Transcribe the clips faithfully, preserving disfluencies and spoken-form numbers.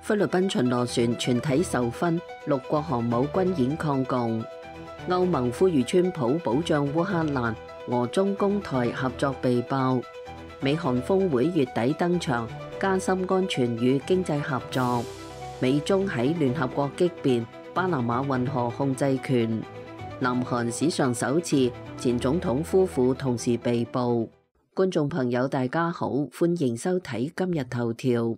菲律賓巡邏船全體受勳，六國航母軍演抗共。歐盟呼籲川普保障烏克蘭，俄中攻台合作被爆。美韓峰會月底登場，加深安全與經濟合作。美中喺聯合國激辯巴拿馬運河控制權。南韓史上首次前總統夫婦同時被捕。觀眾朋友大家好，歡迎收睇今日頭條。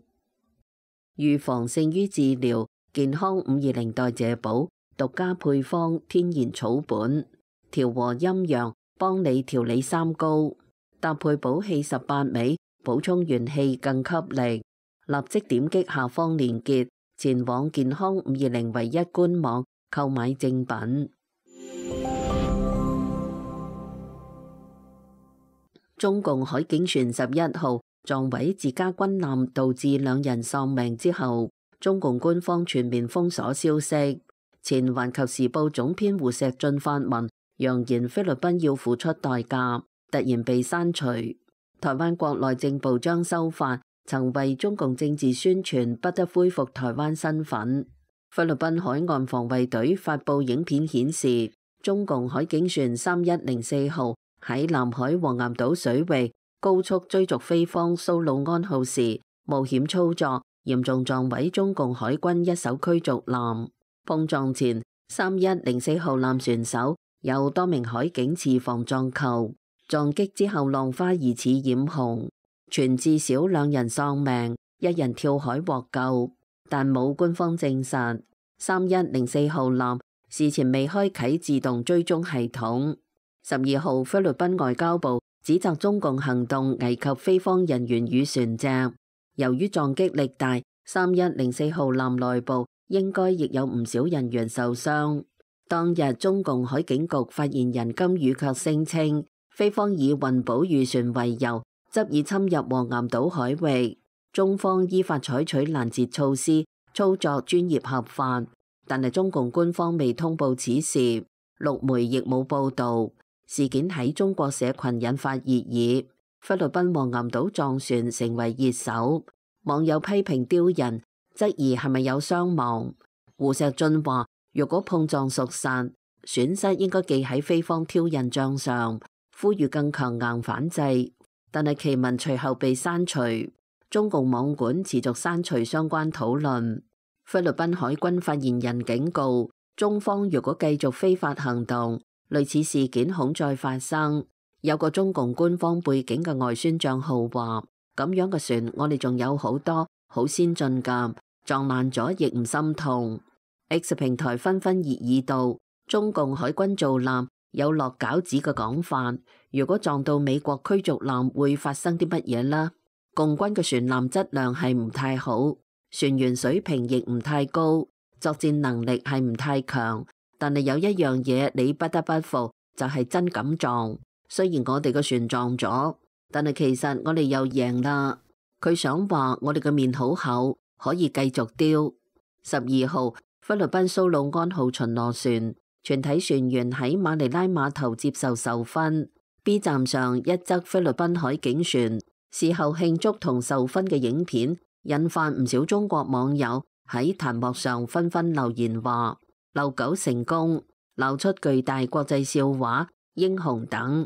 預防勝於治療，健康五二零代謝寶獨家配方天然草本，調和陰陽，幫你調理三高，搭配補氣十八味，補充元氣更給力。立即點擊下方鏈接，前往健康五二零唯一官網購買正品。中共海警船十一號撞毀自家軍艦，導致兩人喪命之後，中共官方全面封鎖消息。前環球時報總編胡錫進發文揚言菲律賓要付出代價，突然被刪除。台灣國內政部將修法，曾為中共政治宣傳，不得恢復台灣身份。菲律賓海岸防衛隊發布影片顯示，中共海警船三一零四號喺南海黃岩島水域高速追逐菲方蘇魯安號時，冒險操作，嚴重撞毀中共海軍一艘驅逐艦。碰撞前，三一零四號艦船手有多名海警持防撞球，撞擊之後浪花疑似染紅，傳至少兩人喪命，一人跳海獲救，但冇官方證實。三一零四號艦事前未開啟自動追蹤系統。十二號，菲律賓外交部指責中共行動危及菲方人員與船隻。由於撞擊力大，三一零四號艦內部應該亦有唔少人員受傷。當日中共海警局發言人金宇卻聲稱，菲方以運補漁船為由，執意侵入黃岩島海域，中方依法採取攔截措施，操作專業合法。但係中共官方未通報此事，陸媒亦冇報導。事件喺中國社群引發熱議，菲律賓黃岩島撞船成為熱搜，網友批評刁人，質疑係咪有傷亡。胡錫進話：若果碰撞屬實，損失應該記喺菲方挑釁賬上，呼籲更強硬反制。但係其文隨後被刪除，中共網管持續刪除相關討論。菲律賓海軍發言人警告，中方若果繼續非法行動，類似事件恐再發生。有個中共官方背景嘅外宣賬號話：咁樣嘅船我哋仲有好多好先進㗎，撞爛咗亦唔心痛。X 平台紛紛熱議道，中共海軍造艦有落餃子嘅講法，如果撞到美國驅逐艦會發生啲乜嘢呢？共軍嘅船艦質量係唔太好，船員水平亦唔太高，作戰能力係唔太強。但係有一樣嘢你不得不服，就係真敢撞。雖然我哋個船撞咗，但係其實我哋又贏啦。佢想話我哋嘅面好厚，可以繼續丟。十二號，菲律賓蘇魯安號巡邏船全體船員喺馬尼拉碼頭接受授勳。B 站上一則菲律賓海警船事後慶祝同授勳嘅影片，引發唔少中國網友喺彈幕上紛紛留言話：遛狗成功，鬧出巨大國際笑話，英雄等。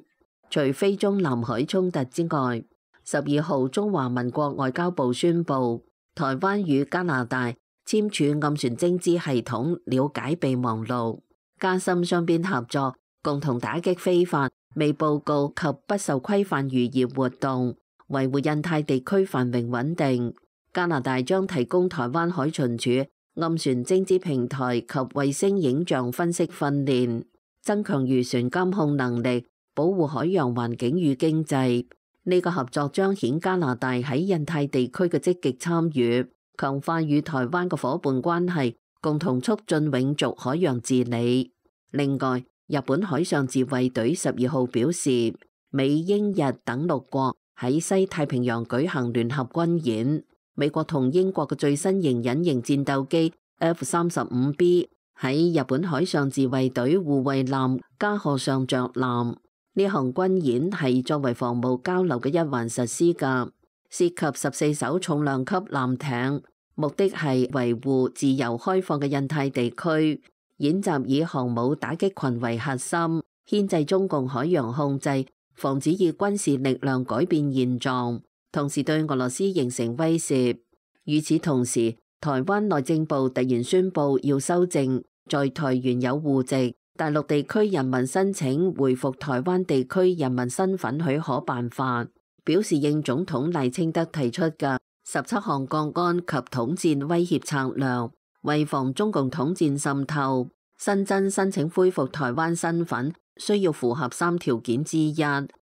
除非中南海衝突之外，十二號中華民國外交部宣布，台灣與加拿大簽署暗船偵知系統了解備忘錄，加深雙邊合作，共同打擊非法、未報告及不受規範漁業活動，維護印太地區繁榮穩定。加拿大將提供台灣海巡署暗船偵知平台及衛星影像分析訓練，增強漁船監控能力，保護海洋環境與經濟。呢個合作彰顯加拿大喺印太地區嘅積極參與，強化與台灣嘅夥伴關係，共同促進永續海洋治理。另外，日本海上自衛隊十二號表示，美英日等六國喺西太平洋舉行聯合軍演。美國同英國嘅最新型隱形戰鬥機 F 三十五 B 喺日本海上自衛隊護衛艦加賀上着艦。呢項軍演係作為防務交流嘅一環實施㗎，涉及十四艘重量級艦艇、目的係維護自由開放嘅印太地區。演習以航母打擊群為核心，牽制中共海洋控制，防止以軍事力量改變現狀，同時對俄羅斯形成威懾。與此同時，台灣內政部突然宣布要修正在台原有戶籍大陸地區人民申請回復台灣地區人民身份許可辦法，表示應總統賴清德提出嘅十七項國安及統戰威脅策略，為防中共統戰滲透，新增申請恢復台灣身份需要符合三條件之一，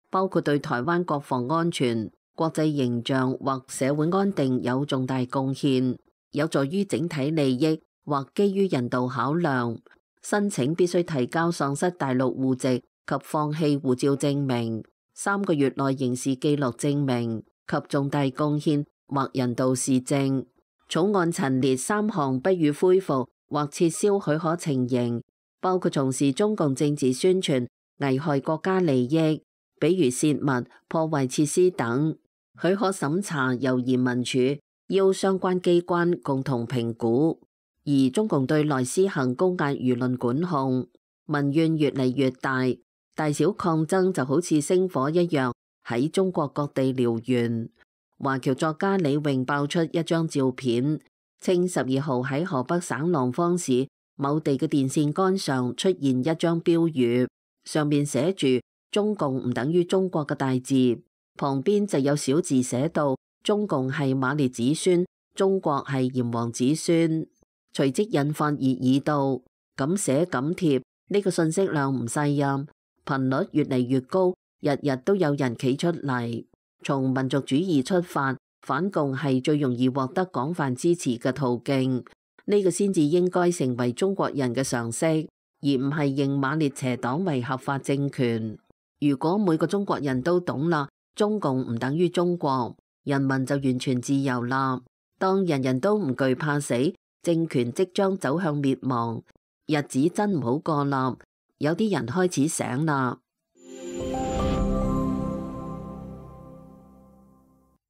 包括對台灣國防安全、國際形象或社會安定有重大貢獻，有助於整體利益或基於人道考量。申請必須提交喪失大陸戶籍及放棄護照證明、三個月內刑事記錄證明及重大貢獻或人道事證。草案陳列三項不予恢復或撤銷許可情形，包括從事中共政治宣傳、危害國家利益，比如洩密、破壞設施等。許可審查由移民署要相關機關共同評估。而中共對內施行高壓輿論管控，民怨越嚟越大，大小抗爭就好似星火一樣喺中國各地燎原。華僑作家李詠爆出一張照片，稱十二號喺河北省廊坊市某地嘅電線桿上出現一張標語，上面寫住中共唔等於中國嘅大字，旁邊就有小字寫到中共係馬列子孫，中國係炎黃子孫。隨即引發熱議道，敢寫敢貼，呢個信息量唔細啊，頻率越嚟越高，日日都有人企出嚟。從民族主義出發，反共係最容易獲得廣泛支持嘅途徑，呢個先至應該成為中國人嘅常識，而唔係認馬列邪黨為合法政權。如果每個中國人都懂啦，中共唔等於中國，人民就完全自由啦。當人人都唔懼怕死，政權即將走向滅亡，日子真唔好過啦。有啲人開始醒啦。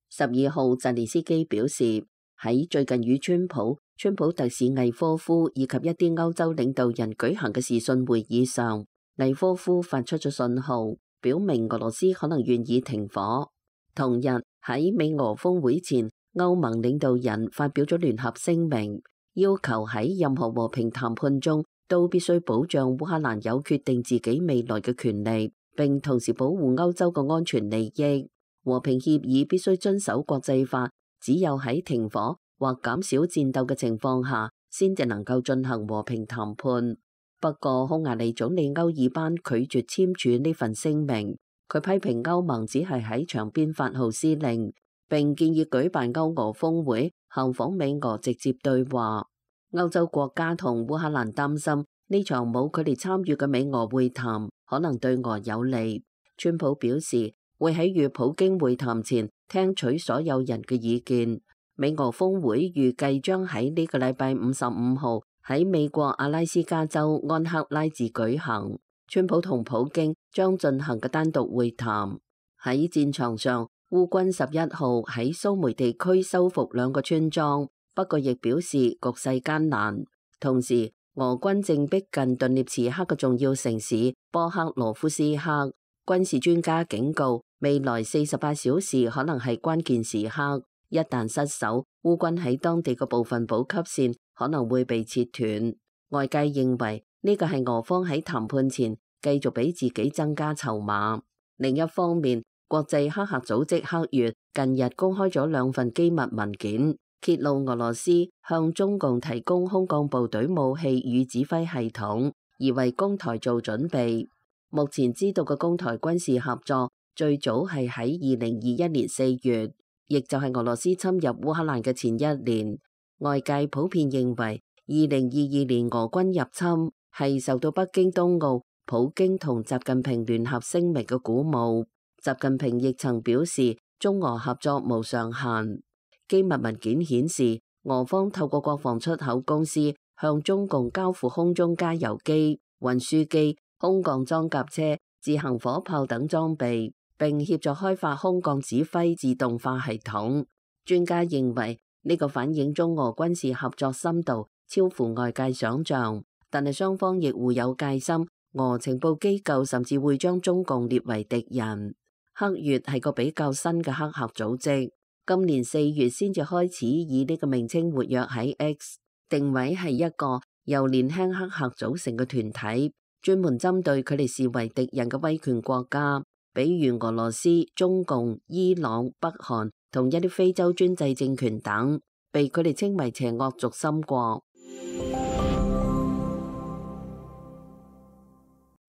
十二號，澤連斯基表示，喺最近與川普、川普特使魏科夫以及一啲歐洲領導人舉行嘅視訊會議上，魏科夫發出咗信號，表明俄羅斯可能願意停火。同日喺美俄峰會前，歐盟領導人發表咗聯合聲明，要求喺任何和平談判中都必須保障烏克蘭有決定自己未來嘅權利，並同時保護歐洲嘅安全利益。和平協議必須遵守國際法，只有喺停火或減少戰鬥嘅情況下，先至能夠進行和平談判。不過，匈牙利總理歐爾班拒絕簽署呢份聲明，佢批評歐盟只係喺場邊發號施令，並建議舉辦歐俄峰會，效仿美俄直接對話。歐洲國家同烏克蘭擔心呢場冇佢哋參與嘅美俄會談可能對俄有利。川普表示會喺與普京會談前聽取所有人嘅意見。美俄峰會預計將喺呢個禮拜五十五號喺美國阿拉斯加州安克拉治舉行。川普同普京將進行嘅單獨會談。喺戰場上，烏軍十一號喺蘇梅地區收復兩個村莊，不過亦表示局勢艱難。同時，俄軍正逼近頓涅茨克嘅重要城市波克羅夫斯克。軍事專家警告，未來四十八小時可能係關鍵時刻，一旦失守，烏軍喺當地嘅部分補給線可能會被切斷。外界認為呢個係俄方喺談判前繼續俾自己增加籌碼。另一方面，國際黑客組織黑月近日公開咗兩份機密文件，揭露俄羅斯向中共提供空降部隊武器與指揮系統，而為攻台做準備。目前知道嘅攻台軍事合作最早係喺二零二一年四月，亦就係俄羅斯侵入烏克蘭嘅前一年。外界普遍認為，二零二二年俄軍入侵係受到北京冬奧、普京同習近平聯合聲明嘅鼓舞。習近平亦曾表示，中俄合作無上限。機密文件顯示，俄方透過國防出口公司向中共交付空中加油機、運輸機、空降裝甲車、自行火炮等裝備，並協助開發空降指揮自動化系統。專家認為呢個反映中俄軍事合作深度超乎外界想象，但係雙方亦互有戒心，俄情報機構甚至會將中共列為敵人。黑月係個比較新嘅黑客組織，今年四月先至開始以呢個名稱活躍喺 X， 定位係一個由年輕黑客組成嘅團體，專門針對佢哋視為敵人嘅威權國家，比如俄羅斯、中共、伊朗、北韓同一啲非洲專制政權等，被佢哋稱為邪惡軸心國。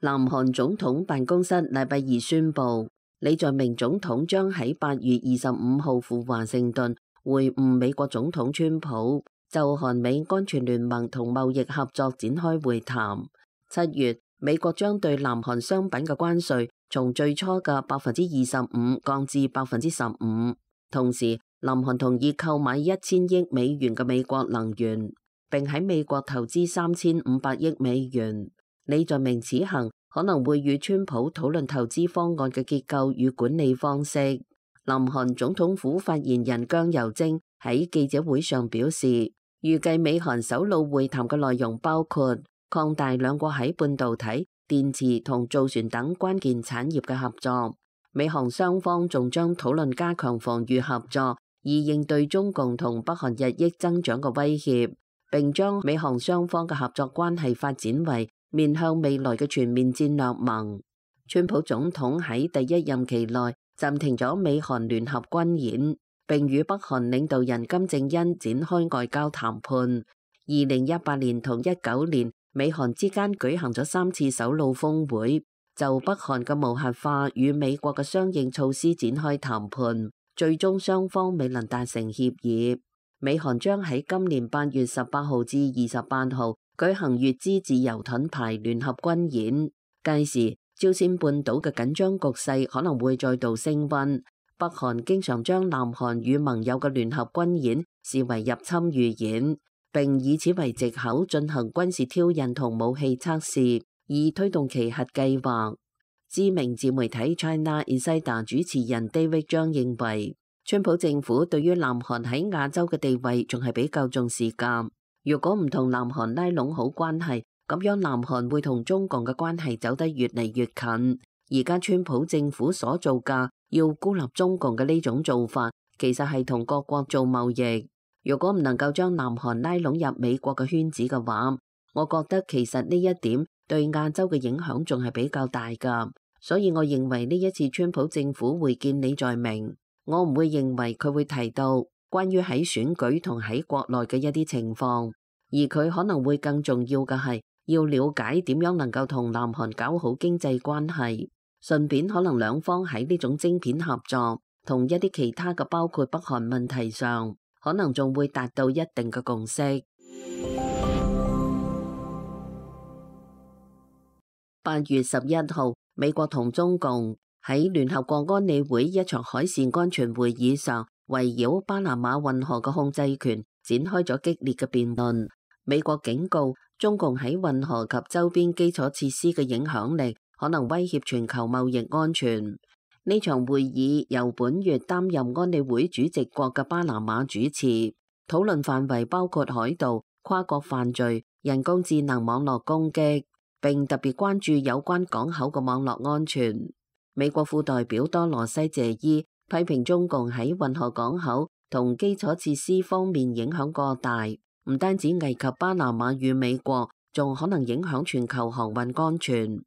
南韓總統辦公室禮拜二宣布，李在明總統將喺八月二十五號赴華盛頓會晤美國總統川普，就韓美安全聯盟同貿易合作展開會談。七月，美國將對南韓商品嘅關稅從最初嘅百分之二十五降至百分之十五。同時，南韓同意購買一千億美元嘅美國能源，並喺美國投資三千五百億美元。李在明此行可能會與川普討論投資方案嘅結構與管理方式。南韓總統府發言人姜由征喺記者會上表示，預計美韓首腦會談嘅內容包括擴大兩國喺半導體、電池同造船等關鍵產業嘅合作。美韓雙方仲將討論加強防禦合作，以應對中共同北韓日益增長嘅威脅，並將美韓雙方嘅合作關係發展為面向未來嘅全面戰略盟。川普總統喺第一任期內暫停咗美韓聯合軍演，並與北韓領導人金正恩展開外交談判。二零一八年同一九年，美韓之間舉行咗三次首腦峰會，就北韓嘅無核化與美國嘅相應措施展開談判，最終雙方未能達成協議。美韓將喺今年八月十八號至二十八號舉行乙支自由盾牌聯合軍演，屆時朝鮮半島嘅緊張局勢可能會再度升溫。北韓經常將南韓與盟友嘅聯合軍演視為入侵預演，並以此為藉口進行軍事挑釁同武器測試，以推動其核計劃。知名自媒體 China Insider 主持人 David 張認為，川普政府對於南韓喺亞洲嘅地位仲係比較重視㗎。如果唔同南韓拉攏好關係，咁樣南韓會同中共嘅關係走得越嚟越近。而家川普政府所做嘅要孤立中共嘅呢種做法，其實係同各國做貿易。如果唔能夠將南韓拉攏入美國嘅圈子嘅話，我覺得其實呢一點對亞洲嘅影響仲係比較大㗎。所以我認為呢一次川普政府會見李在明，我唔會認為佢會提到關於喺選舉同喺國內嘅一啲情況，而佢可能會更重要嘅係要了解點樣能夠同南韓搞好經濟關係，順便可能兩方喺呢種晶片合作同一啲其他嘅包括北韓問題上，可能仲會達到一定嘅共識。八月十一號，美國同中共喺聯合國安理會一場海事安全會議上，圍繞巴拿馬運河嘅控制權展開咗激烈嘅辯論。美國警告中共喺運河及周邊基礎設施嘅影響力可能威脅全球貿易安全。呢場會議由本月擔任安理會主席國嘅巴拿馬主持，討論範圍包括海盜、跨國犯罪、人工智能網絡攻擊，並特別關注有關港口嘅網絡安全。美國副代表多羅西謝伊批評中共喺運河港口同基礎設施方面影響過大，唔單止危及巴拿馬與美國，仲可能影響全球航運安全。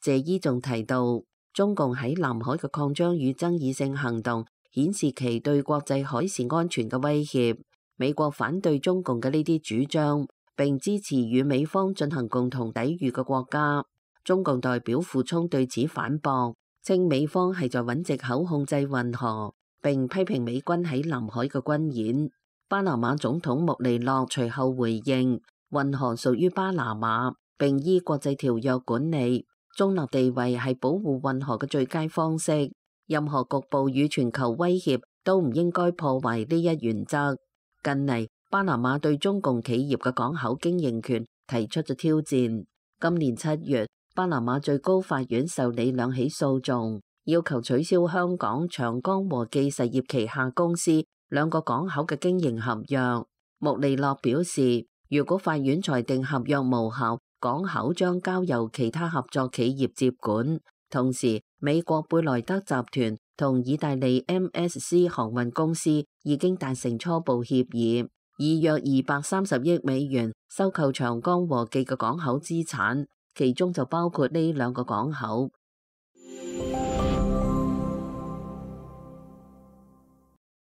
謝伊仲提到，中共喺南海嘅擴張與爭議性行動顯示其對國際海事安全嘅威脅。美國反對中共嘅呢啲主張，並支持與美方進行共同抵禦嘅國家。中共代表傅聰對此反駁，稱美方係在揾藉口控制運河，並批評美軍喺南海嘅軍演。巴拿馬總統穆尼諾隨後回應，運河屬於巴拿馬，並依國際條約管理，中立地位係保護運河嘅最佳方式。任何局部與全球威脅都唔應該破壞呢一原則。近嚟，巴拿馬對中共企業嘅港口經營權提出咗挑戰。今年七月，巴拿馬最高法院受理兩起訴訟，要求取消香港長江和記實業旗下公司兩個港口嘅經營合約。穆利諾表示，如果法院裁定合約無效，港口將交由其他合作企業接管。同時，美國貝萊德集團同意大利 M S C 航運公司已經達成初步協議，以約二百三十億美元收購長江和記嘅港口資產，其中就包括呢兩個港口。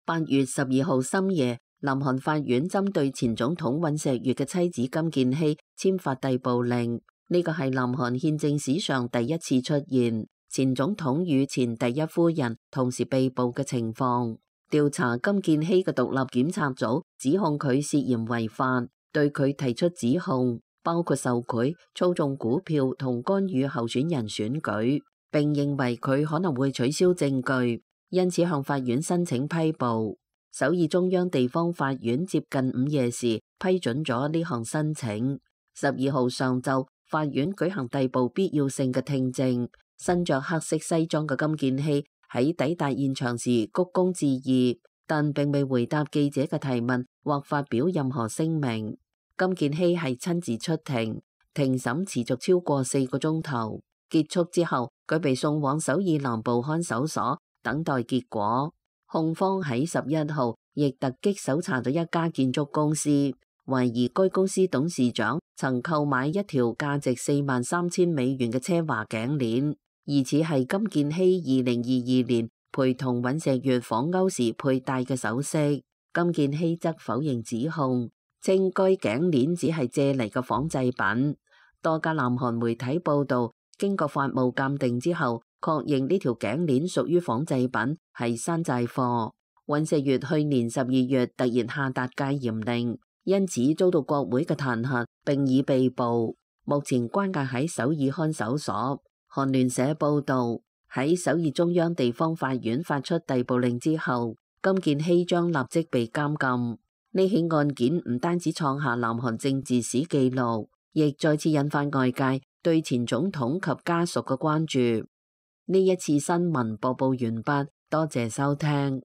八月十二號深夜，南韓法院針對前總統尹錫悅嘅妻子金建希簽發逮捕令，呢個係南韓憲政史上第一次出現前總統與前第一夫人同時被捕嘅情況。調查金建希嘅獨立檢察組指控佢涉嫌違法，對佢提出指控，包括受賄、操縱股票同干預候選人選舉，並認為佢可能會取消證據，因此向法院申請批捕。首爾中央地方法院接近午夜時批准咗呢項申請。十二號上晝，法院舉行逮捕必要性嘅聽證。身着黑色西裝嘅金建希喺抵達現場時鞠躬致意，但並未回答記者嘅提問或發表任何聲明。金建希係親自出庭，庭審持續超過四個鐘頭。結束之後，佢被送往首爾南部看守所等待結果。控方喺十一號亦突擊搜查咗一家建築公司，懷疑該公司董事長曾購買一條價值四萬三千美元嘅奢華頸鏈，疑似係金建希二零二二年陪同尹錫悅訪歐時佩戴嘅首飾。金建希則否認指控，稱該頸鏈只係借嚟嘅仿製品。多家南韓媒體報道，經過法務鑑定之後，確認呢條頸鏈屬於仿製品，係山寨貨。尹錫悅去年十二月突然下達戒嚴令，因此遭到國會嘅彈劾，並已被捕。目前關押喺首爾看守所。韓聯社報道，喺首爾中央地方法院發出逮捕令之後，金建希將立即被監禁。呢起案件唔單止創下南韓政治史紀錄，亦再次引發外界對前總統及家屬嘅關注。呢一次新聞播報完畢，多謝收聽。